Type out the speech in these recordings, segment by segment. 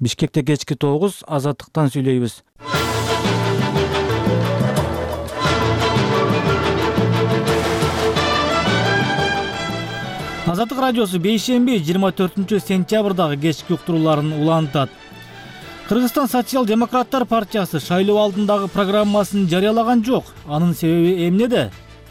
Бишкекте кечки 9, Азаттыктан сүйлөйбүз. Азаттык радиосу бейшемби 24-сентябрдагы кечки уктурууларын улантат. Кыргызстан социал-демократтар партиясы шайлоо алдындагы программасын жарыялаган жок. Анын себеби эмнеде?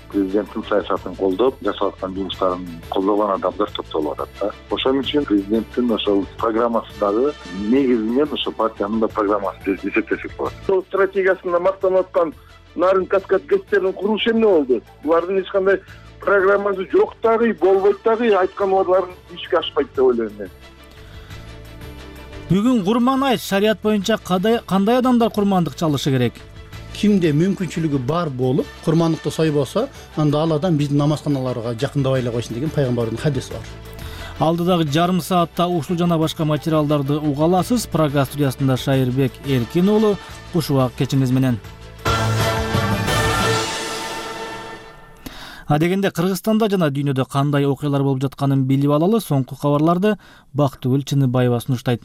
Президенттин саясатын колдоп, жасап аткан жумуштарын колдогон адамдар топтолуп атат да. Ошон үчүн президенттин ошол программасындагы негизинен ошол партиянын да программасы деп эсептесек болот. Сол стратегиясында мактанып аткан нарын каскад кестерин курулушу эмне болду? Булардын эч кандай программасы жок дагы, болбойт дагы, айткан убадаларын ишке ашпайт деп ойлойм мен. Бүгүн Курман айт, шарият боюнча кандай адамдар курмандык чалышы керек? Кимде мүмкүнчүлүгү бар болуп, курмандыкты сойбосо, анда ал адам биздин намазканаларга жакындабай эле койсун деген пайгамбардын хадиси бар. Алдыдагы жарым саатта ушул жана башка материалдарды уга аласыз. Программа студиясында Шайырбек Эркин уулу. Куш убак кечиңиз менен. Адегенде Кыргызстанда жана дүйнөдө кандай окуялар болуп жатканын билип алалы. Соңку кабарларды Бактыгүл Чыныбаева сунуштайт.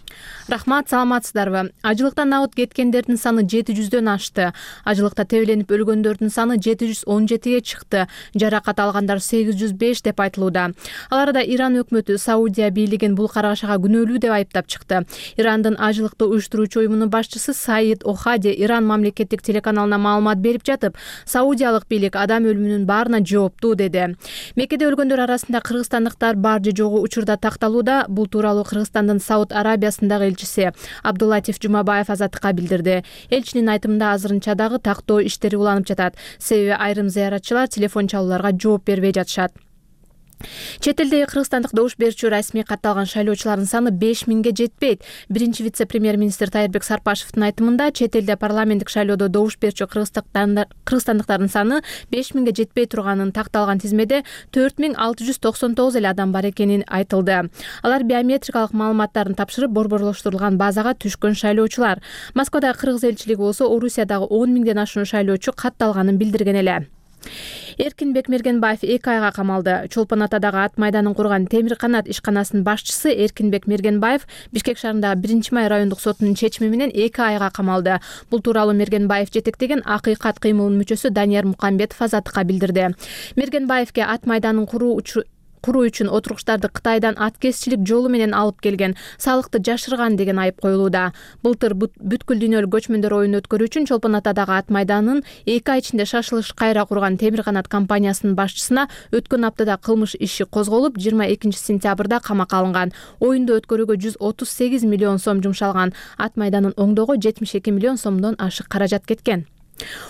Рахмат, саламатсыздарбы? Ажылыктан абыт кеткендердин саны 700дөн ашты. Ажылыкта тебеленип өлгөндөрдүн саны 717ге чыкты. Жаракат алгандар 805 деп айтылууда. Аларда Иран өкмөтү Саудия бийлигин бул каргашага күнөөлүү деп айыптап чыкты. Ирандын ажылыкты уюштуруучу уюмунун башчысы Саид Охади Иран мамлекеттик телеканалына маалымат берип жатып, саудиялык бийлик адам өлүмүнүн баарына жооптуу деди. Меккеде өлгөндөр арасында кыргызстандыктар бар же жогу учурда такталууда. Бул тууралуу Кыргызстандын Сауд Арабиясындагы элчиси Абдуллатиф Жумабаев Азаттыкка билдирди. Элчинин айтымында азырынча дагы тактоо иштери уланып жатат. Себеби айрым зыяратчылар телефон чалууларга жооп бербей жатышат. Чет элдеги кыргызстандык добуш берүүчү расмий катталган шайлоочулардын саны 5000ге жетпейт. Биринчи вице-премьер-министр Тайырбек Сарпашевдин айтымында, чет элде парламенттик шайлоодо добуш берүүчү кыргызстандыктардын саны 5000ге жетпей турганын, такталган тизмеде 4699 эле адам бар экени айтылды. Алар биометрикалык маалыматтарын тапшырып, борборлоштурулган базага түшкөн шайлоочулар. Москвадагы кыргыз элчилиги болсо Орусиядагы 10.000ден ашуун шайлоочу катталганын билдирген эле. Эркинбек Мергенбаев 2 айга камалды. Чолпон Атадагы ат майданын курган Темир канат ишканасынын башчысы Эркинбек Мергенбаев Бишкек шаарындагы 1-май райондук сотунун чечими менен 2 айга камалды. Бул тууралуу Мергенбаев жетектеген Акыйкат кыймылынын мүчөсү Данияр Мукамбетов Азаттыкка билдирди. Мергенбаевге ат майданын куруу үчүн отургучтарды Кытайдан ат кесчилик жолу менен алып келген, салыкты жашырган деген айып коюлууда. Былтыр бүткүл дүйнөлүк көчмөндөр оюн өткөрүү үчүн Чолпон Атадагы ат майданын 2 ай ичинде шашылыш кайра курган Темир канат компаниясынын башчысына өткөн аптада кылмыш иши козголуп, 22-сентябрда камакка алынган. Оюнду өткөрүүгө 138 миллион сом жумшалган. Ат майданын оңдоого 72 миллион сомдон ашык каражат кеткен.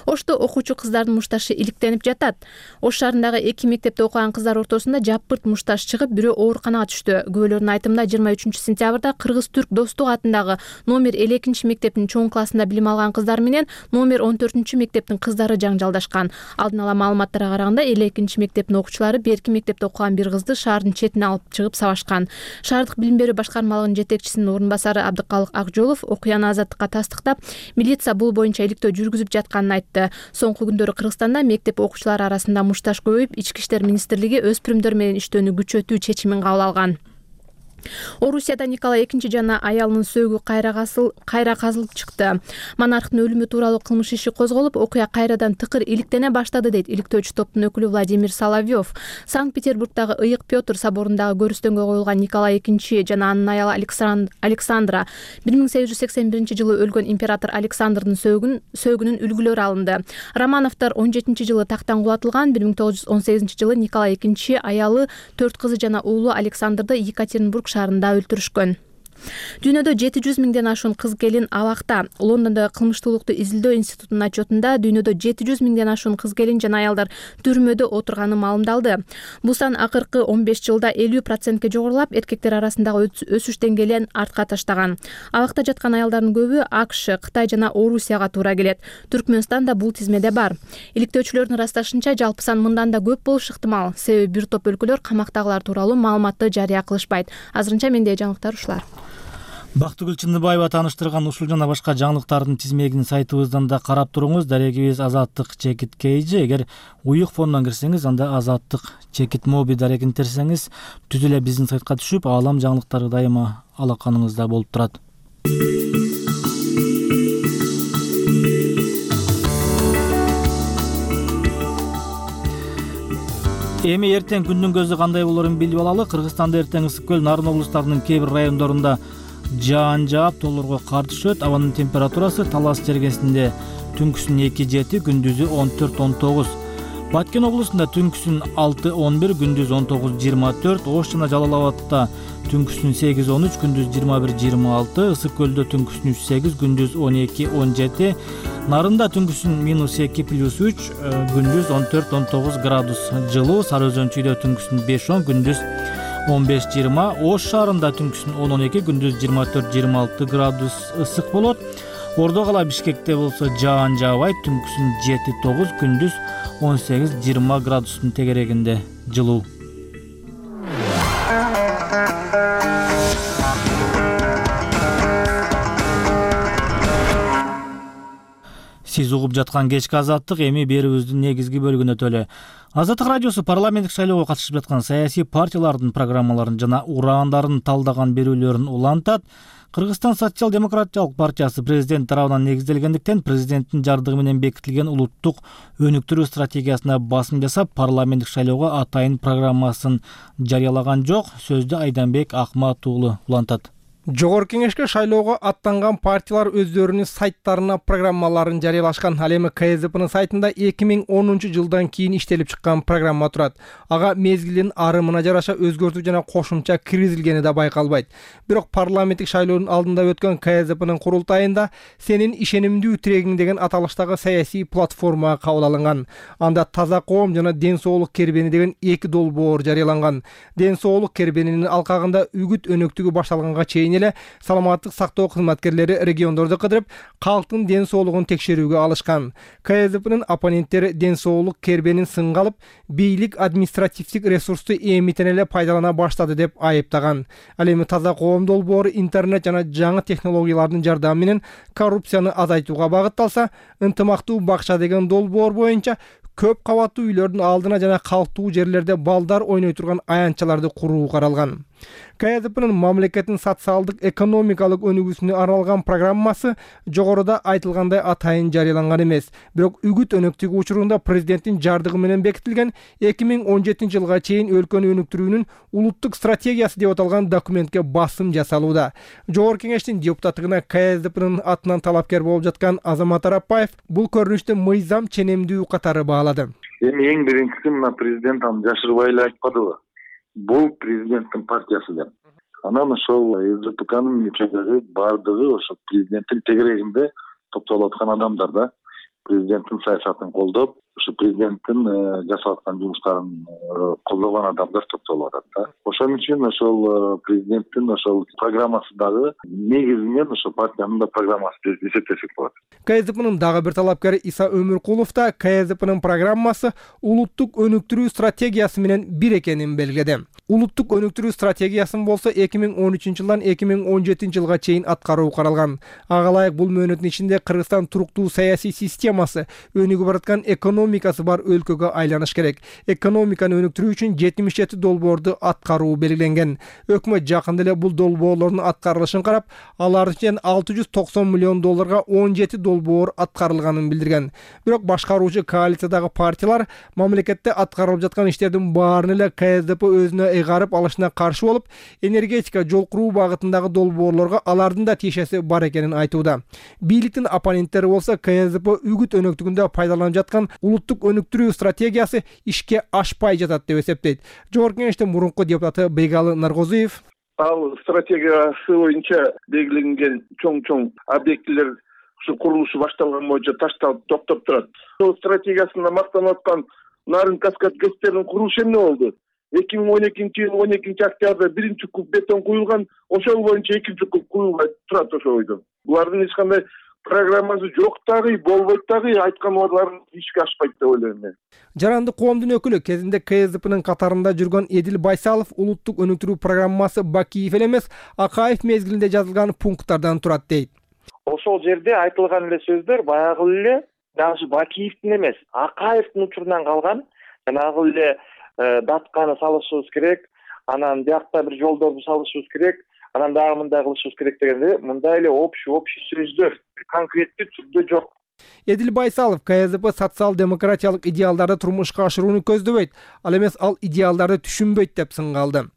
Ошто окуучу кыздардын мушташы иликтенип жатат. Ош шаарындагы 2 мектепте окуган кыздар ортосунда жапырт мушташ чыгып, бирөө ооруканага түштү. Күбөлөрдүн айтымында 23-сентябрда Кыргыз-Түрк Достук атындагы номер 52 мектептин чоң классында билим алган кыздар менен номер 14 мектептин кыздары жаңжалдашкан. Алдын ала маалыматтарга караганда 52 мектептин окуучулары берки мектепте окуган бир кызды шаардын четине алып чыгып сабашкан. Шаардык билим берүү башкармалыгынын жетекчисинин орун басары Абдыкалык Акжолов окуяны Азаттыкка тастыктап, милиция бул боюнча иликтөө жүргүзүп айтты. Соңку күндөрү Кыргызстанда мектеп окуучулары арасында мушташ көбөйүп, Ички иштер министрлиги өспүрүмдөр менен иштөөнү күчөтүү чечимин кабыл алган. Орусияда Николай II жана аялынын сөөгү кайра казылып чыкты. Монархтын өлүмү тууралуу кылмыш иши козголуп, окуя кайрадан тыкыр иликтене баштады дейт иликтөөчү топтун өкүлү Владимир Соловьев. Санкт-Петербургдагы Ыйык Пётр соборундагы көрүстөнгө коюлган Николай II жана анын аялы Александра 1881-жылы өлгөн император Александрдын сөөгүнүн үлгүлөрү алынды. Романовдор 17-жылы тактан кулатылган. 1918-жылы Николай II аялы, 4 кызы жана уулу Александрды Екатеринбург шаарында өлтүрүшкөн. Дүйнөдө 700 миңден ашуун кыз келин абакта. Лондондо кылмыштуулукту изилдөө институтунун отчетунда дүйнөдө 700 миңден ашуун кыз келин жана аялдар түрмөдө отурганы маалымдалды. Бул сан акыркы 15 жылда 50%ке жогорулап, эркектер арасындагы өсүш деңгээлин артка таштаган. Абакта жаткан аялдардын көбү АКШ, Кытай жана Орусияга туура келет. Түркмөнстан да бул тизмеде бар. Иликтөөчүлөрдүн ырасташынча, жалпы сан мындан да көп болушу ыктымал. Себеби бир топ өлкөлөр камактагылар тууралуу маалыматты жарыя кылышпайт. Азырынча менде жаңылыктар ушулар. Бактыгүл Чыныбаева тааныштырган ушул жана башка жаңылыктардын тизмегин сайтыбыздан да карап туруңуз. Дарегибиз Азаттык чекит кейжи. Эгер уюк фондон кирсеңиз, анда Азаттык чекит моби дарегин терсеңиз, түз эле биздин сайтка түшүп, аалам жаңылыктары дайыма алаканыңызда болуп турат. Эми эртең күндүн көзү кандай болорун билип алалы. Кыргызстанда эртең ысык көл, Нарын облустарынын кээ бир райондорунда жаан жаап, тоолорго кар түшөт. Абанын температурасы Талас чергесинде түнкүсүн 2-7, күндүзү 14-19. Баткен облусунда түнкүсүн 6-11, күндүз 19-24. Ош жана Жалал Абадта түнкүсүн 8-13, күндүз 21-26. Ысык көлдө түнкүсүн 3-8, күндүз 12-17. Нарында түнкүсүн -2 +3, күндүз 14-19 градус жылуу. Сары Өзөнчүйдө түнкүсүн 5-10, күндүз 15-20. Ош шаарында түнкүсүн 10-12, күндүз 24-26 градус ысык болот. Ордо кала Бишкекте болсо жаан жаабайт, түнкүсүн 7-9, күндүз 18-20 градустун тегерегинде жылуу. Сиз угуп жаткан кечки азаттык эми берүүбүздүн негизги бөлүгүнө өтөлү. Азаттык радиосу парламенттик шайлоого катышып жаткан саясий партиялардын программаларын жана ураандарын талдаган берүүлөрүн улантат. Кыргызстан социал-демократиялык партиясы президент тарабынан негизделгендиктен президенттин жардыгы менен бекитилген улуттук өнүктүрүү стратегиясына басым жасап, парламенттик шайлоого атайын программасын жарыялаган жок. Сөздү Айданбек Акмат уулу улантат. Жогорку кеңешке шайлоого аттанган партиялар өздөрүнүн сайттарына программаларын жарыялашкан. Ал эми КСДПнын сайтында 2010 жылдан кийин иштелип чыккан программа турат. Ага мезгилдин арымына жараша өзгөртүү жана кошумча киргизилгени да байкалбайт. Бирок парламенттик шайлоонун алдында өткөн КСДПнын курултайында «Сенин ишенимдүү тирегиң» деген аталыштагы саясий платформа кабыл алынган. Анда таза коом жана ден соолук кербени деген эки долбоор жарыяланган. Ден соолук кербенинин алкагында үгүт өнөктүгү башталганга чейин эле саламаттык сактоо кызматкерлери региондорду кыдырып, калктын ден соолугун текшерүүгө алышкан. КСДПнын оппоненттери ден соолук кербенин сынга алып, бийлик административдик ресурсту эмитен эле пайдалана баштады деп айыптаган. Ал эми таза коом долбоору интернет жана жаңы технологиялардын жардамы менен коррупцияны азайтууга багытталса, ынтымактуу бакча деген долбоор боюнча көп кабаттуу үйлөрдүн алдына жана калктуу жерлерде балдар ойной турган аянтчаларды куруу каралган. КСДПнын мамлекеттин социалдык экономикалык өнүгүүсүнө арналган программасы жогоруда айтылгандай атайын жарыяланган эмес. Бирок үгүт өнөктүгү учурунда президенттин жардыгы менен бекитилген 2017 жылга чейин өлкөнү өнүктүрүүнүн улуттук стратегиясы деп аталган документке басым жасалууда. Жогорку кеңештин депутаттыгына КСДПнын атынан талапкер болуп жаткан Азамат Арапбаев бул көрүнүштү мыйзам ченемдүү катары баалады. Эми эң биринчиси мына президент аны жашырбай эле айтпадыбы? Бул президенттин партиясы деп. Анан ошол СДПКнын мүчөлөрү бардыгы ошо президенттин тегерегинде топтолуп аткан адамдар да. Президенттин саясатын колдоп, ошо президенттин жасап аткан жумуштарын колдогон адамдар топтолуп атат да. Ошон үчүн ошол президенттин ошол программасы дагы негизинен ошо партиянын да программасы деп эсептесек болот. КСДПнын дагы бир талапкери Иса Өмүркулов да КСДПнын программасы улуттук өнүктүрүү стратегиясы менен бир экенин белгиледи. Улуттук өнүктүрүү стратегиясын болсо 2013 жылдан 2017 жылга чейин аткаруу каралган. Ага ылайык бул мөөнөттүн ичинде Кыргызстан туруктуу саясий системасы, өнүгүп бараткан экономикасы бар өлкөгө айланыш керек. Экономиканы өнүктүрүү үчүн 77 долбоорду аткаруу белгиленген. Өкмөт жакында эле бул долбоорлордун аткарылышын карап, алардын ичинен $690 миллион 17 долбоор аткарылганын билдирген. Бирок башкаруучу коалициядагы партиялар мамлекетте аткарылып жаткан иштердин баарын эле КСДП өзүнө ыйгарып алышына каршы болуп, энергетика, жол куруу багытындагы долбоорлорго алардын да тиешеси бар экенин айтууда. Бийликтин оппоненттери болсо КСДП үгүт өнөктүгүндө пайдаланып жаткан улуттук өнүктүрүү стратегиясы ишке ашпай жатат деп эсептейт. Жогорку кеңештин мурунку депутаты Бегалы Наргозуев ал стратегиясы боюнча белгиленген чоң объектилер ушу курулушу башталган боюнча ташталып токтоп турат. Ошол стратегиясында мактанып аткан Нарын каскад ГЭСтерин курулушу эмне болду? 2012 жыл 12 октябрда биринчи куб бетон куюлган, ошол боюнча экинчи куб куюлбай турат ошол бойдон. Булардын эч кандай программасы жок дагы, болбойт дагы, айткан убадаларын ишке ашпайт деп ойлойм мен. Жаранды коомдун өкүлү кезинде КСДПнын катарында жүргөн Эдил Байсалов улуттук өнүктүрүү программасы Бакиев эле эмес, Акаев мезгилинде жазылган пункттардан турат дейт. Ошол жерде айтылган эле сөздөр баягы эле даже Бакиевдин эмес, Акаевдин учурунан калган. Жанагы эле датканы салышыбыз керек, анан биякта бир жолдорду салышыбыз керек, анан дагы мындай кылышыбыз керек дегенде мындай эле общий сөздөр конкреттүү түрдө жок. Эдил Байсалов КСДП социал-демократиялык идеалдарды турмушка ашырууну көздөбөйт, ал эмес ал идеалдарды түшүнбөйт деп сынгалды.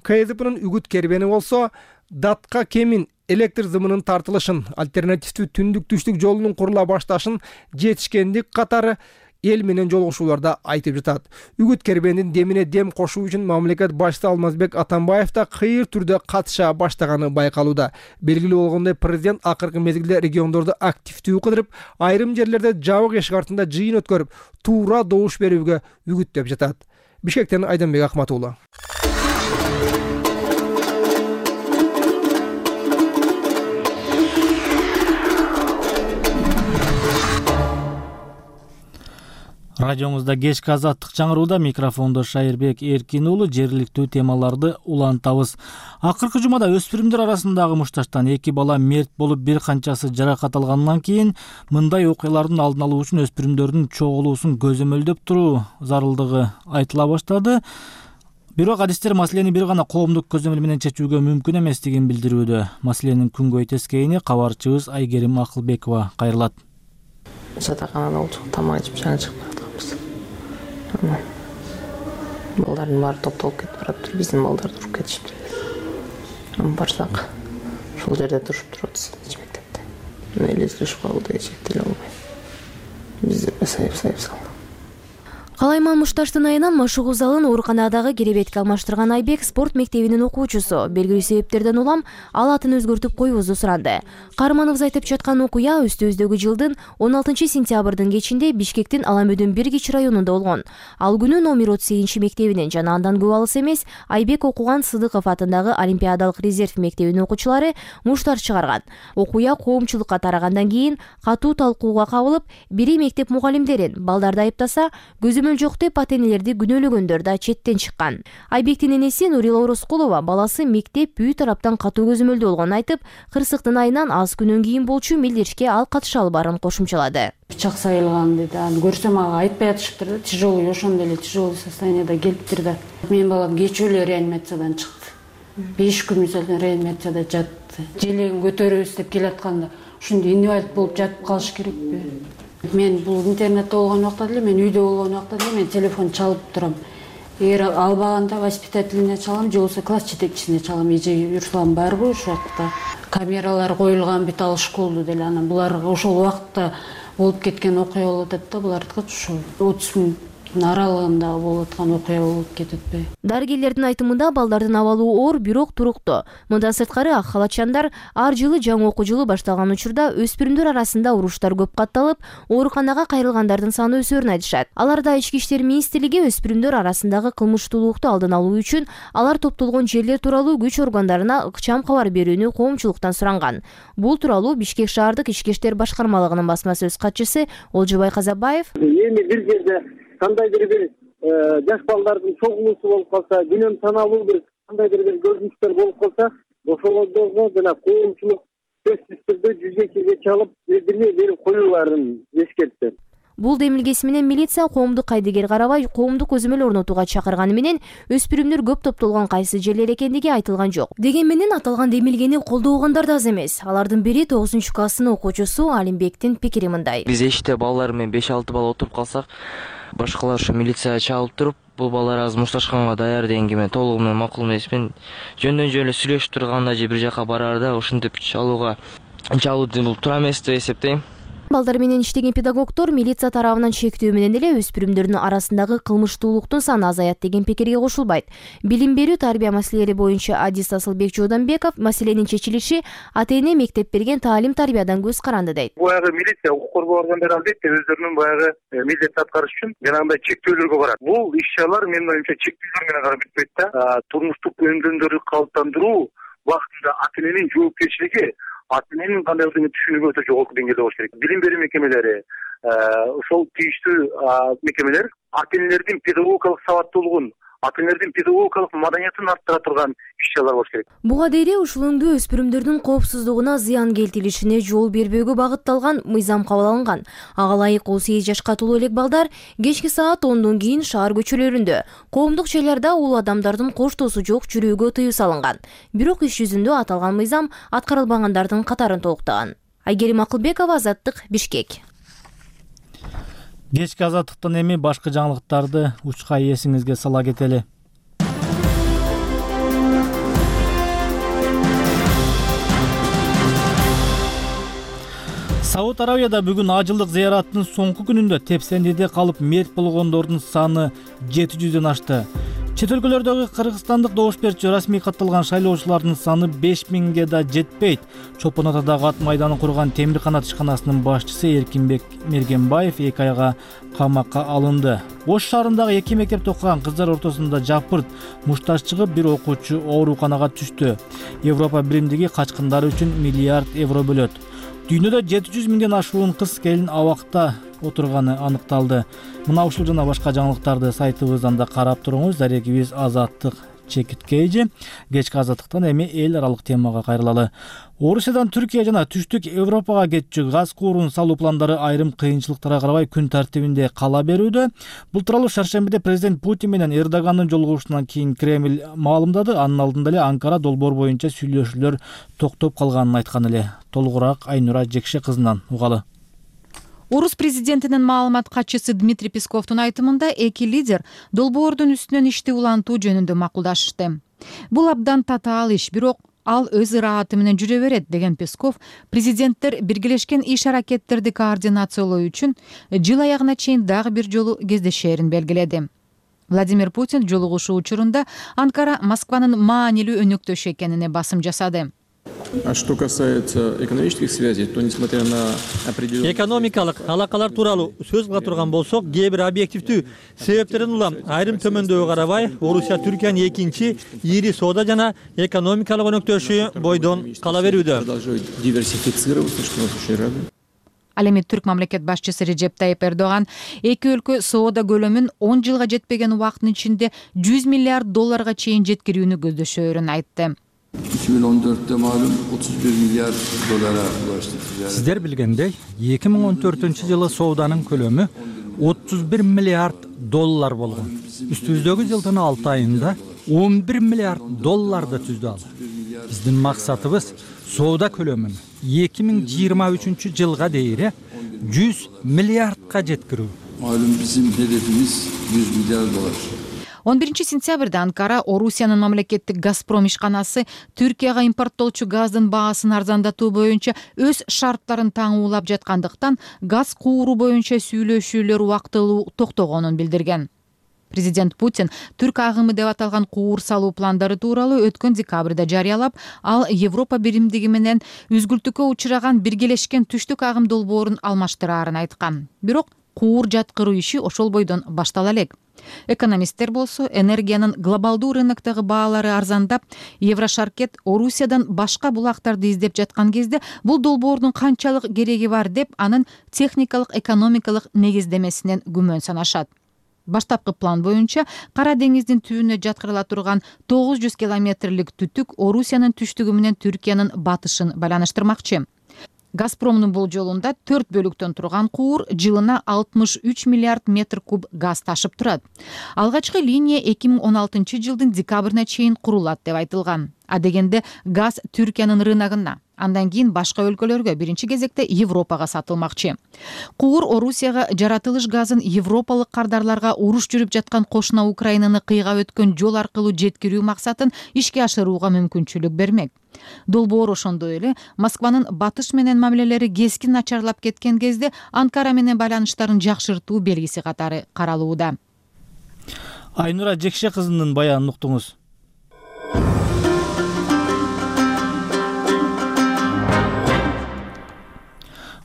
КСДПнын үгүт кербени болсо датка кемин электр зымынын тартылышын, альтернативдүү түндүк-түштүк жолунун курула башташын, жетишкендик катары эл менен жолугушууларда айтып жатат. Үгүт кербендин демине дем кошуу үчүн мамлекет башчысы Алмазбек Атамбаев да кыйыр түрдө катыша баштаганы байкалууда. Белгилүү болгондой, президент акыркы мезгилде региондорду активдүү кыдырып, айрым жерлерде жабык эшик артында жыйын өткөрүп, туура добуш берүүгө үгүттөп жатат. Бишкектен Айданбек Акмат уулу. Радиомузда кечки азаттык чаңырууда микрофондо Шайырбек Эркин уулу, жергиликтүү темаларды улантабыз. Акыркы жумада өспүрүмдөр арасындагы мушташтан 2 бала мерт болуп, бир канчасы жаракат алгандан кийин мындай окуялардын алдын алуу үчүн өспүрүмдөрдүн чогулуусун көзөмөлдөп туруу зарылдыгы айтыла баштады. Бирок адистер маселени бир гана коомдук көзөмөл менен чечүүгө мүмкүн эместигин билдирүүдө. Маселенин күнгөй тескейини кабарчыбыз Айгерим Акылбекова кайрылат. Жатаканада олчук тамак ичип жаңы чыгып баратканбыз. Балдардын баары топтолуп кетип баратыр, биздин балдар туруп кетишиптир. Барсак, ушул жерде турушуп турабыз мектепте. Элестиришип калды, эчектеле албай. Бизди сайып салды. Калайман мушташтын айынан машыгуу залын ооруканадагы керебетке алмаштырган Айбек спорт мектебинин окуучусу. Белгилүү себептерден улам ал атын өзгөртүп коюубузду суранды. Каармановбуз айтып жаткан окуя өстүбүздөгү жылдын 16 сентябрдын кечинде Бишкектин Аламөдүн Биргич районунда болгон. Ал күнү номер 38 мектебинин жана андан көп алыс эмес Айбек окуган Сыдыков атындагы Олимпиадалык резерв мектебинин окуучулары муштар чыгарган. Окуя коомчулукка тарагандан кийин катуу талкууга кабылып, бири мектеп мугалимдерин балдарды айыптаса, көзөмөл жок деп ата-энелерди күнөөлөгөндөр да четтен чыккан. Айбектин энеси Нурила Ороскулова баласы мектеп үй тараптан катуу көзөмөлдө болгонун айтып, кырсыктын айынан аз күнөн кийин болчу милдешке ал катыша албаарын кошумчалады. Пычак сайылган дейт. Аны көрсөм ага айтпай атышыптыр да, тяжелый, ошондой эле тяжелый состояниеда келиптир да. Менин балам кечээ эле реанимациядан чыкты. 5 күн мисалдан реанимацияда жатты. Желегин көтөрөбүз деп келатканда, ушундай инвалид болуп жатып калыш керекпи? Мен бул интернетте болгон убакта деле, мен үйдө болгон убакта деле мен телефон чалып турам. Эгер албаганда воспитательнине чалам, же болбосо класс жетекчисине чалам. Эже Руслан барбы ошол убакта? Камералар коюлган бит ал школдо деле. Анан булар ошол убакта болуп кеткен окуя болуп атат да, булардыкы ушул 30 мүнөттүн аралыгында болуп аткан окуя болуп кететпи? Дарыгерлердин айтымында балдардын абалуу оор, бирок туруктуу. Мындан сырткары ак халатчандар ар жылы жаңы окуу жылы башталган учурда өспүрүмдөр арасында уруштар көп катталып, ооруканага кайрылгандардын саны өсөөрүн айтышат. Аларда Ички иштер министрлиги өспүрүмдөр арасындагы кылмыштуулукту алдын алуу үчүн алар топтолгон жерлер тууралуу күч органдарына ыкчам кабар берүүнү коомчулуктан суранган. Бул тууралуу Бишкек шаардык ички иштер башкармалыгынын басма сөз катчысы Олжобай Казабаев эми бир жерде кандайдыр бир жаш балдардын чогулуусу болуп калса, күнөм саналуу бир кандайдыр бир көрүнүштөр болуп калса, ошолордо жана коомчулук сөзсүз түрдө жүзөккө чалып билдирме берип коюуларын эскертти. Бул демилгеси менен милиция коомдук кайдыгер карабай коомдук көзөмөл орнотууга чакырганы менен өспүрүмдөр көп топтолгон кайсы жерлер экендиги айтылган жок. Деген менен аталган демилгени колдогондар да аз эмес. Алардын бири 9-класстын окуучусу Алимбектин пикири мындай. Биз эшикте балдар менен 5-6 бала отуруп калсак, башкалар ушу милицияга чалып туруп, бул балдар азыр мушташканга даяр дегенге мен толугу менен макул эмесмин. Жөндөн эле сүйлөшүп турганда же бир жака бараарда ушинтип чалуу бул туура эмес деп эсептейм. Балдар менен иштеген педагогдор милиция тарабынан чектөө менен эле өспүрүмдөрдүн арасындагы кылмыштуулуктун саны азаят деген пикирге кошулбайт. Билим берүү тарбия маселелери боюнча адис Асылбек Жууданбеков маселенин чечилиши ата-эне мектеп берген таалим тарбиядан көз каранды дейт. Баягы милиция укук коргоо органдары албетте өздөрүнүн баягы милдетти аткарыш үчүн жанагындай чектөөлөргө барат. Бул иш-чаралар менин оюмча чектөөлөр менен гана бүтпөйт да. Турмуштук өндөмдөрдү калыптандыруу убактында ата-эненин жоопкерчилиги ата-эненин кандай түшүнүгү өтө жогорку деңгээлде болуш керек. Билим берүү мекемелери, ошол тийиштүү мекемелер ата-энелердин педагогикалык сабаттуулугун ата энелердин педагогикалык маданиятын арттыра турган иш-чаралар болуш керек. Буга дейре ушул өңдө өспүрүмдөрдүн коопсуздугуна зыян келтирилишине жол бербөөгө багытталган мыйзам кабыл алынган. Ага ылайык 18 жашка толуу элек балдар кечки саат 10дон кийин шаар көчөлөрүндө, коомдук жайларда улуу адамдардын коштоосу жок жүрүүгө тыюу салынган. Бирок иш жүзүндө аталган мыйзам аткарылбагандардын катарын толуктаган. Айгерим Акылбекова, Азаттык, Бишкек. Кечки азаттыктан эми башка жаңылыктарды учка эсиңизге сала кетели. Сауд Арабияда бүгүн ажылдык зыяраттын соңку күнүндө тепсендиде калып мерт болгондордун саны 700дөн ашты. Чет өлкөлөрдөгү кыргызстандык добуш берүүчү расмий катталган шайлоочулардын саны 5000ге да жетпейт. Чолпон Атадагы ат майданын курган Темир канат ишканасынын башчысы Эркинбек Мергенбаев 2 айга камакка алынды. Ош шаарындагы 2 мектепте окуган кыздар ортосунда жапырт мушташ чыгып, бир окуучу ооруканага түштү. Европа биримдиги качкындар үчүн миллиард евро бөлөт. Дүйнөдө 700 миңден ашуун кыз келин абакта отурганы аныкталды. Мына ушул жана башка жаңылыктарды сайтыбыздан да карап туруңуз. Дарегибиз Азаттык чекиткейжи. Кечки азаттыктан эми эл аралык темага кайрылалы. Орусиядан Түркия жана Түштүк Европага кетчү газ куурун салуу пландары айрым кыйынчылыктарга карабай күн тартибинде кала берүүдө. Бул тууралуу шаршембиде президент Путин менен Эрдогандын жолугушуунан кийин Кремль маалымдады. Анын алдында эле Анкара долбоор боюнча сүйлөшүүлөр токтоп калганын айткан эле. Толугураак Айнура Жекше кызынан угалы. Орус президентинин маалымат катчысы Дмитрий Песковдун айтымында эки лидер долбоордун үстүнөн ишти улантуу жөнүндө макулдашышты. Бул абдан татаал иш, бирок ал өз ырааты менен жүрө берет деген Песков, президенттер биргелешкен иш-аракеттерди координациялоо үчүн жыл аягына чейин дагы бир жолу кездешээрин белгиледи. Владимир Путин жолугушуу учурунда Анкара Москванын маанилүү өнөктөшү экенине басым жасады. А что касается экономических связей, то несмотря на определенные... Экономикалык алакалар тууралуу сөз кыла турган болсок, кээ бир объективдүү себептерден улам айрым төмөндөөгө карабай, Орусия Түркиянын экинчи ири соода жана экономикалык өнөктөшү бойдон кала берүүдө. Ал эми түрк мамлекет башчысы Режеп Тайип Эрдоган эки өлкө соода көлөмүн 10 жылга жетпеген убакыттын ичинде 100 миллиард долларга чейин жеткирүүнү көздөшөөрүн айтты. 2014'te malum 31 milyar dolara ulaştı. Sizler bilgендей, 2014-жылы сооданын көлөмү 31 миллиард доллар болгон. Үстүбүздөгү жылдын 6 айында 11 миллиард долларды түздү ал. Биздин максатыбыз соода көлөмүн 2023-жылга дейре 100 миллиардка жеткирүү. Malum bizim hedefimiz 100 milyar dolar. 11 сентябрда Анкара Орусиянын мамлекеттик Газпром ишканасы Түркияга импорттолчу газдын баасын арзандатуу боюнча өз шарттарын таңуулап жаткандыктан газ кууру боюнча сүйлөшүүлөр убактылуу токтогонун билдирген. Президент Путин түрк агымы деп аталган куур салуу пландары тууралуу өткөн декабрда жарыялап, ал Европа биримдиги менен үзгүлтүккө учураган биргелешкен түштүк агым долбоорун алмаштыраарын айткан. Бирок куур жаткыруу иши ошол бойдон баштала элек. Экономисттер болсо энергиянын глобалдуу рыноктогу баалары арзандап, Еврошаркет Орусиядан башка булактарды издеп жаткан кезде бул долбоордун канчалык кереги бар деп анын техникалык экономикалык негиздемесинен күмөн санашат. Баштапкы план боюнча Кара деңиздин түбүнө жаткырыла турган 900 километрлик түтүк Орусиянын түштүгү менен Түркиянын батышын байланыштырмакчы. Газпромдун болжолунда 4 бөлүктөн турган куур жылына 63 миллиард метр куб газ ташып турат. Алгачкы линия 2016 жылдын декабрына чейин курулат деп айтылган. А дегенде газ Түркиянын рыногуна, андан кийин башка өлкөлөргө, биринчи кезекте Европага сатылмакчы. Куур Орусияга жаратылыш газын европалык кардарларга уруш жүрүп жаткан кошуна Украинаны кыйгап өткөн жол аркылуу жеткирүү максатын ишке ашырууга мүмкүнчүлүк бермек. Долбоор ошондой эле Москванын батыш менен мамилелери кескин начарлап кеткен кезде Анкара менен байланыштарын жакшыртуу белгиси катары каралууда. Айнура Жекше кызынын баянын уктуңуз.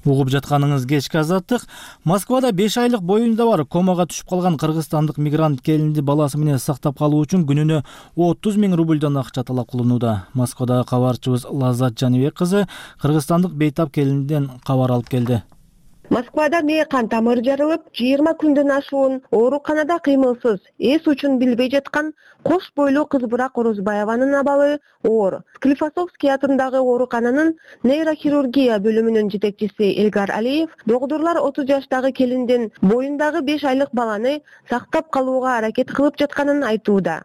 Угуп жатканыңыз кечки азаттык. Москвада 5 айлык боюнда бар комага түшүп калган кыргызстандык мигрант келинди баласы менен сактап калуу үчүн күнүнө 30 000 рубльдан акча талап кылынууда. Москвадагы кабарчыбыз Лаззат Жаныбек кызы кыргызстандык бейтап келинден кабар алып келди. Москвада мээкан тамыры жарылып, 20 күндөн ашуун ооруканада кыймылсыз, эс учун билбей жаткан кош бойлуу Кызбырак Орозбаеванын абалы оор. Склифосовский атындагы оорукананын нейрохирургия бөлүмүнүн жетекчиси Элгар Алиев докторлор 30 жаштагы келиндин боюндагы 5 айлык баланы сактап калууга аракет кылып жатканын айтууда.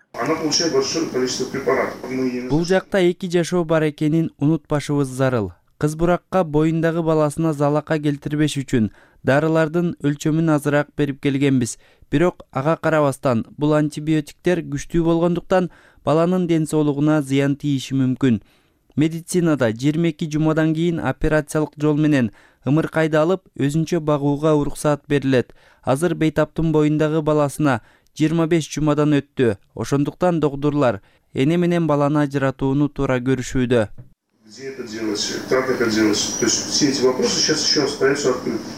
Бул жакта 2 жашоо бар экенин унутпашыбыз зарыл. Кызбуракка боюндагы баласына залака келтирбеш үчүн дарылардын өлчөмүн азыраак берип келгенбиз. Бирок ага карабастан бул антибиотиктер күчтүү болгондуктан баланын ден соолугуна зыян тийиши мүмкүн. Медицинада 22 жумадан кийин операциялык жол менен ымыркайды алып, өзүнчө багууга уруксаат берилет. Азыр бейтаптын боюндагы баласына 25 жумадан өттү. Ошондуктан докторлор эне менен баланы ажыратууну туура көрүшүүдө.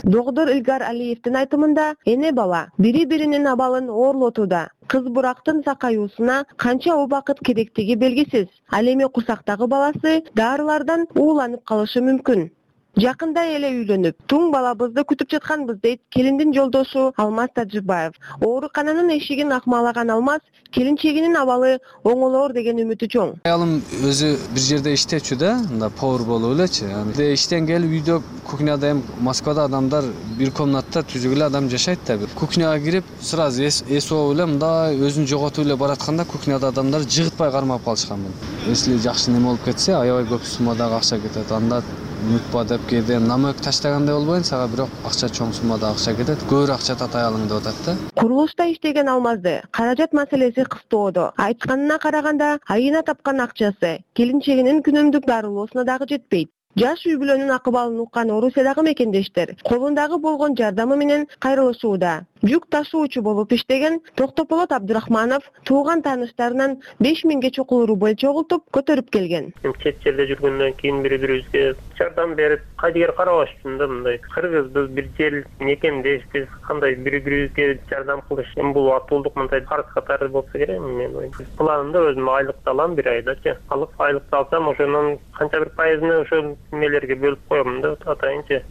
Доктор Элгар Алиевдин айтымында эне бала бири-биринин абалын оорлотууда. Кызбурактын сакаюусуна канча убакыт керектиги белгисиз. Ал эми курсактагы баласы дарылардан ууланып калышы мүмкүн. Жакында эле үйлөнүп, туң балабызды күтүп жатканбыз дейт келиндин жолдошу Алмаз Тажибаев. Оорукананын эшигин акмалаган Алмаз келинчегинин абалы оңолоор деген үмүтү чоң. Аялым өзү бир жерде иштечү да, мында повар болуп элечи. Иштен келип үйдө кухняда эми Москвада адамдар бир комнатта түзүк эле адам жашайт да. Кухняга кирип, сразу эс ооп эле мында өзүн жоготуп эле баратканда кухняда адамдар жыгытпай кармап калышканмын. Если жакшы неме болуп кетсе, аябай көп суммадагы акча кетет. Анда унутпа деп кээде намек таштагандай болбойн, сага бирок акча чоң суммада акча кетет. Көбүрөөк акча тата алың деп атат да. Курулушта иштеген Алмазды каражат маселеси кыстоодо. Айтканына караганда, айына тапкан акчасы келинчегинин күнүмдүк дарылоосуна дагы жетпейт. Жаш үй бүлөнүн акыбалын уккан Орусиядагы мекендештер колундагы болгон жардамы менен кайрылышууда. Жүк ташуучу болуп иштеген Токтополот Абдурахманов тууган тааныштарынан 5000 чокул рубль чогултуп көтөрүп келген. Чет жерде жүргөндөн кийин бири-бирибизге жардам берип, кайдыгер карабаш үчүн да мындай. Кыргызбыз, бир жер мекендешпиз, кандай бири-бирибизге жардам кылыш. Эми бул атуулдук мындай фарз катары болсо керек, мен ойлойм. Планымда өзүм айлыкты алам бир айдачы. Айлыкты алсам, ошонун канча бир пайызын ошол немелерге бөлүп коем да, атайынчы.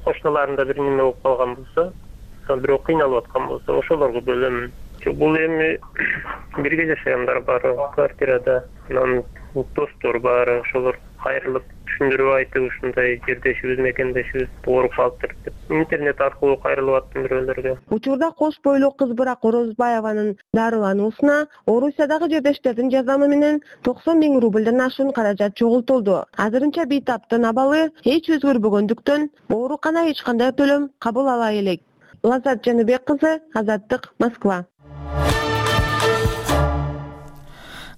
Кошуналарында бир неме болуп калган болсо, бирок кыйналып аткан болсо, ошолорго бөлөм. Бул эми бирге жашагандар бар квартирада, анан достор бар, ошолор кайрылып түшүндүрүп айтып, ушундай жердешибиз, мекендешибиз ооруп калыптыр деп. Интернет аркылуу кайрылып аттым бирөөлөргө. Учурда кош бойлуу Кызбырак Орозбаеванын дарылануусуна Орусиядагы жердештердин жардамы менен 90 000 рубльден ашуун каражат чогултулду. Азырынча бейтаптын абалы эч өзгөрбөгөндүктөн оорукана эч кандай төлөм кабыл ала элек. Лаззат Жаныбек кызы, Азаттык, Москва.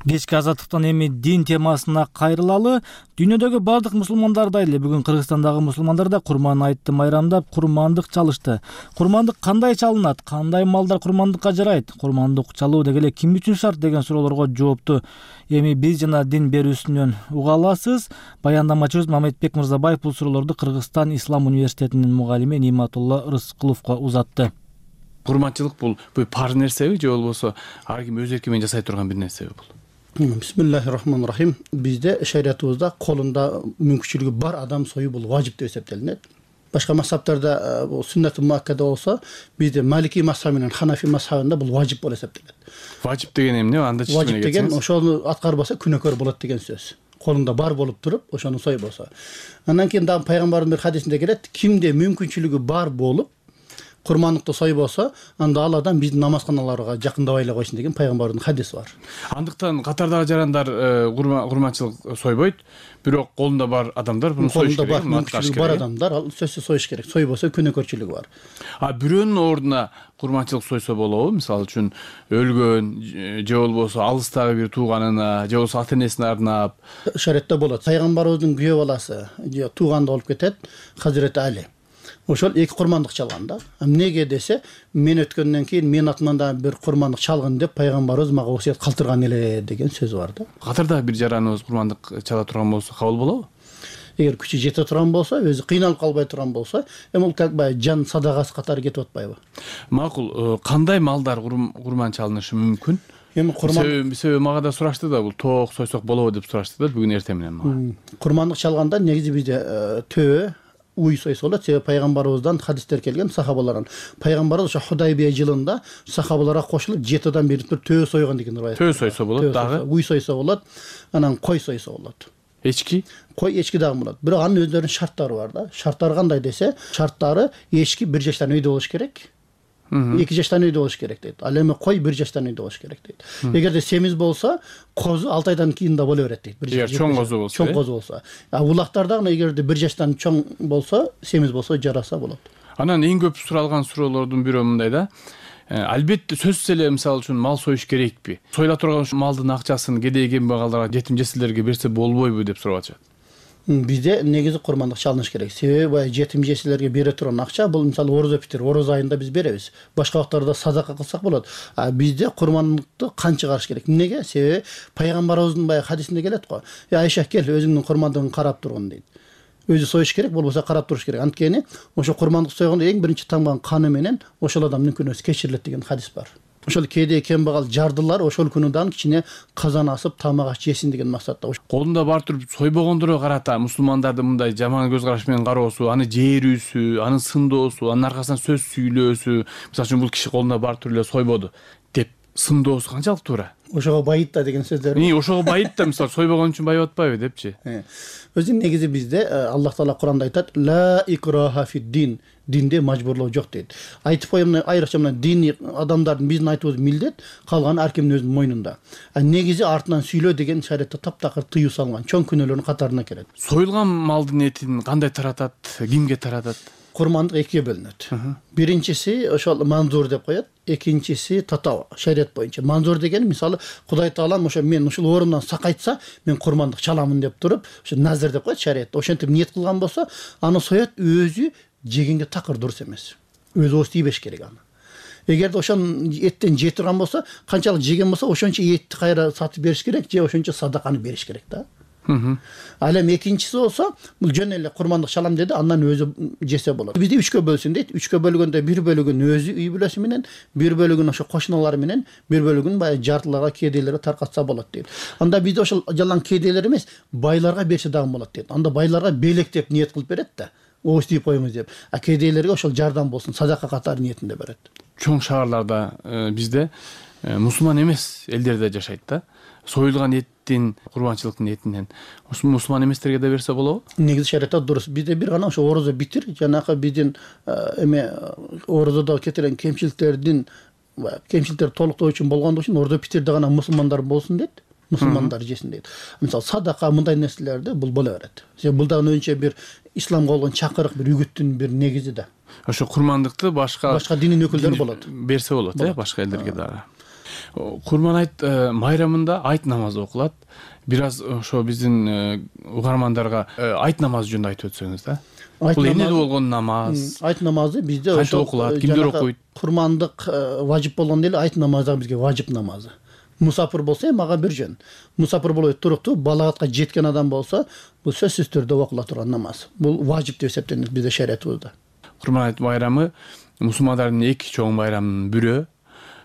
Кечки азаттыктан эми дин темасына кайрылалы. Дүйнөдөгү бардык мусулмандардай эле бүгүн Кыргызстандагы мусулмандар да Курман айтты майрамдап курмандык чалышты. Курмандык кандай чалынат? Кандай малдар курмандыкка жарайт? Курмандык чалуу деги эле ким үчүн шарт деген суроолорго жоопту эми биз жана дин берүүсүнөн уга аласыз. Баяндамачыбыз Мамедбек Мырзабаев бул суроолорду Кыргызстан Ислам университетинин мугалими Ниматулла Рыскуловго узатты. Курманчылык бул парз нерсеби же болбосо ар ким өз эрки менен жасай турган бир нерсеби бул? Бисмиллахиррахманиррахим. Бизде шариятыбызда колунда мүмкүнчүлүгү бар адам союу бул важип деп эсептелинет. Башка мазхабтарда бул сүннат муаккада болсо, бизде Малики мазхабы менен Ханафи мазхабында бул важип болуп эсептелет. Важип деген эмне? Анда чечимине Важип деген ошону аткарбаса күнөөкөр болот деген сөз. Колунда бар болуп туруп, ошону сойбосо. Андан кийин дагы пайгамбардын бир хадисинде келет, кимде мүмкүнчүлүгү бар болуп курмандыкты сойбосо, анда ал адам биздин намазканаларга жакындабай эле койсун деген пайгамбардын хадиси бар. Андыктан катардагы жарандар курманчылык сойбойт, бирок колунда бар адамдар буну союш керек. Мүмкүнчүлүгү бар адамдар ал сөзсүз союш керек. Сойбосо күнөөкөрчүлүгү бар. Бирөөнүн ордуна курманчылык сойсо болобу? Мисалы үчүн өлгөн же болбосо алыстагы бир тууганына, же болбосо ата-энесине арнап. Шариатта болот. Пайгамбарыбыздын күйөө баласы, же тууганда болуп кетет, Хазирети Али. Ошол эки курмандык чалган да. Эмнеге десе, мен өткөндөн кийин мен атыман да бир курмандык чалгын деп пайгамбарыбыз мага осуят калтырган эле деген сөзү бар да. Катарда бир жараныбыз курмандык чала турган болсо кабыл болобу? Эгер күчү жете турган болсо, өзү кыйналып калбай турган болсо, эми ал как бы жан садагасы катары кетип атпайбы? Макул, кандай малдар курман чалынышы мүмкүн? Эми курман себеби мага да сурашты да, бул тоок сойсок болобу деп сурашты да бүгүн эртең менен мага. Курмандык чалганда негизи бизде төбө, уй сойсо болот. Себеби пайгамбарыбыздан хадистер келген сахабалардан. Пайгамбарыбыз ошо Худайбия жылында сахабаларга кошулуп 7 адам берип туруп төө сойгон деген риваят. Төө сойсо болот дагы. Уй сойсо болот. Анан кой сойсо болот. Эчки? Кой эчки дагы болот. Бирок анын өздөрүнүн шарттары бар да. Шарттары кандай десе, шарттары эчки 1 жаштан үйдө болуш керек. 2 жаштан үйдө болуш керек дейт. Ал эми кой 1 жаштан үйдө болуш керек дейт. Эгерде семиз болсо, козу 6 айдан кийин да боло берет дейт. Эгер чоң козу болсо. Чоң козу болсо. Улактар дагы эгерде 1 жаштан чоң болсо, семиз болсо жараса болот. Анан эң көп суралган суроолордун бирөө мындай да. Албетте сөзсүз эле мисалы үчүн мал союш керекпи? Союла турган малдын акчасын кедей кембагалдарга, жетим жесирлерге берсе болбойбу деп сурап атышат. Бизде негизи курмандык чалыныш керек. Себеби баягы жетим жесирлерге бере турган акча бул мисалы орозо битир, орозо айында биз беребиз. Башка убактарда садака кылсак болот. Бизде курмандыкты канча караш керек? Эмнеге? Себеби пайгамбарыбыздын баягы хадисинде келет го. Айша кел, өзүңдүн курмандыгын карап тургун дейт. Өзү союш керек, болбосо карап туруш керек. Анткени ошо курмандык сойгондо эң биринчи тамган каны менен ошол адамдын күнөөсү кечирилет деген хадис бар. Ошол кедей кембагал жардылар ошол күнү дагы кичине казан асып тамак аш жесин деген максатта. Колунда бар туруп сойбогондорго карата мусулмандарды мындай жаман көз караш менен кароосу, аны жээрүүсү, аны сындоосу, анын аркасынан сөз сүйлөөсү, мисалы үчүн бул киши колунда бар туруп эле сойбоду деп сындоосу канчалык туура? Ошого байыт да деген сөздөр. Ошого байыт да, мисалы сойбогон үчүн байып атпайбы депчи? Өзү негизи бизде Аллах Таала Куранда айтат: "Ла икраха фид-дин", динде мажбурлоо жок дейт. Айтып коем, айрыкча мына диний адамдардын биздин айтыбыз милдет, калганы ар кимдин өзүнүн мойнунда. Негизи артынан сүйлөө деген шариатта таптакыр тыюу салган, чоң күнөөлөрдүн катарына кирет. Союлган малдын этин кандай таратат, кимге таратат? Курмандык экиге бөлүнөт. Биринчиси ошол манзур деп коет, экинчиси татава, шариат боюнча. Манзур деген мисалы Кудай Таалам ошо мен ушул орумдан сакайтса, мен курмандык чаламын деп туруп, ошо назир деп коет шариатта. Ошентип ниет кылган болсо, аны соет, өзү жегенге такыр дурус эмес. Өзү ооз тийбеш керек аны. Эгерде ошон эттен жей турган болсо, канчалык жеген болсо, ошончо этти кайра сатып бериш керек, же ошончо садаканы бериш керек да. Ал эми экинчиси болсо, бул жөн эле курмандык чалам деди, андан өзү жесе болот. Бизде 3кө бөлсүн дейт. 3кө бөлгөндө 1 бөлүгүн өзү үй бүлөсү менен, 1 бөлүгүн ошо кошуналары менен, 1 бөлүгүн баягы жартыларга, кедейлерге таркатса болот дейт. Анда бизде ошол жалаң кедейлер эмес, байларга берсе дагы болот дейт. Анда байларга белектеп ниет кылып берет да. Ооз тийип коюңуз деп. Кедейлерге ошол жардам болсун, садака катары ниетинде берет. Чоң шаарларда бизде мусулман эмес элдер да жашайт да. Союлган эттин, курбанчылыктын этинен мусулман эместерге да берсе болобу? Негизи шариатта дурус. Бизде бир гана ошо орозо битир, жанагы биздин эме орозодо кетирген кемчиликтердин кемчиликтер толуктоо үчүн болгондо үчүн орозо битирде гана мусулмандар болсун дейт. Мусулмандар жесин дейт. Мисалы садака мындай нерселерди бул боло берет. Себеби бул дагы өзүнчө бир исламга болгон чакырык, бир үгүттүн бир негизи да. Ошо курмандыкты башка динин өкүлдөрү болот. Берсе болот, башка элдерге дагы. Курман айт майрамында айт намазы окулат. Бир аз ошо биздин угармандарга айт намазы жөнүндө айтып өтсөңүз да. Бул эмне болгон намаз? Айт намазы бизде ошо окулат, кимдер окуйт? Курмандык важип болгондо эле айт намазы дагы бизге важип намазы. Мусафир болсо мага бир жөн. Мусафир болуп туруктуу, балагатка жеткен адам болсо, бул сөзсүз түрдө окула турган намаз. Бул важип деп эсептелет бизде шариатыбызда. Курман айт байрамы мусулмандардын эки чоң байрамынын бирөө.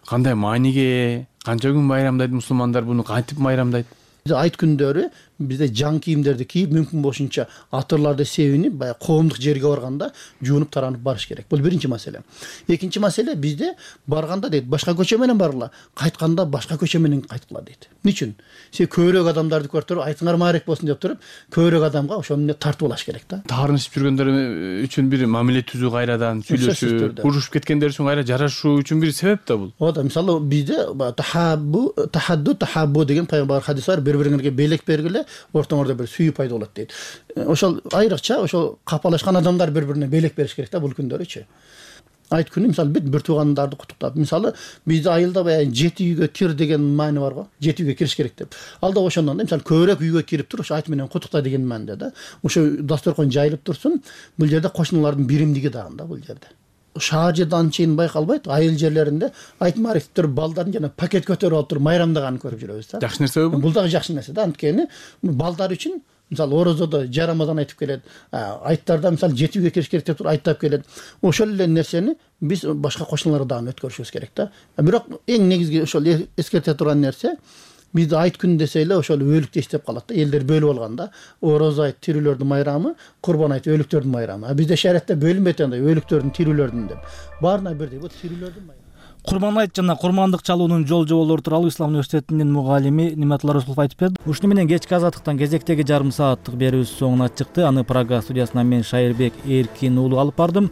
Кандай мааниге, канча күн байрамдайт мусулмандар, буну кантип байрамдайт? Айт күндөрү бизде жаң кийимдерди кийип, мүмкүн болушунча атырларды себинип, баягы коомдук жерге барганда жуунуп таранып барыш керек. Бул биринчи маселе. Экинчи маселе, бизде барганда дейт, башка көчө менен баргыла, кайтканда башка көчө менен кайткыла дейт. Эмне үчүн? Көбүрөөк адамдарды көрүп, айтыңар маарек болсун деп туруп, көбүрөөк адамга ошону тартып алыш керек да. Таарынышып жүргөндөр үчүн бир мамиле түзүү, кайрадан сүйлөшүү, урушуп кеткендер үчүн кайра жарашуу үчүн бир себеп да бул. Ооба, мисалы бизде тахадду деген пайгамбар хадис бар, бири-бириңерге белек бергиле, ортоңордо бир сүйүү пайда болот дейт. Ошол айрыкча ошол капалашкан адамдар бири-бирине белек бериш керек да бул күндөрүчү. Айт күнү мисалы бүт туугандарды куттуктап, мисалы бизде айылда баягы 7 үйгө кир деген маани бар го. 7 үйгө кириш керек деп. Алда ошондон да мисалы көбүрөөк үйгө кирип туруп, ошо айт менен куттукта деген мааниде да. Ошо дасторкон жайылып турсун, бул жерде кошуналардын биримдиги дагы да бул жерде. Шаар жерде анчейин байкалбайт, айыл жерлеринде айт маарифтер балдарын жана пакет көтөрүп алып туруп майрамдаганын көрүп жүрөбүз да. Жакшы нерсе бул. Бул дагы жакшы нерсе да, анткени балдар үчүн мисалы орозодо жарамадан айтып келет, айттарда мисалы 7 үйгө кириш керек деп туруп айттап келет. Ошол эле нерсени биз башка кошуналарга дагы өткөрүшүбүз керек да. Бирок эң негизги ошол эскерте турган нерсе, Биз айт күнү десе эле ошол өлүктү эстеп калат да. Элдер бөлүп алганда орозо айт тирүүлөрдүн майрамы, курбан айт өлүктөрдүн майрамы. А бизде шариатта бөлүнбөйт андай өлүктөрдүн, тирүүлөрдүн деп. Баарына бирдей. Бул тирүүлөрдүн майрамы. Курман айт жана курмандык чалуунун жол жоболору тууралуу Ислам университетинин мугалими Ниматулла Расулов айтып берди. Ушуну менен кечки азаттыктан кезектеги жарым сааттык берүүбүз соңуна чыкты. Аны Прага студиясынан мен Шайырбек Эркин уулу алып бардым.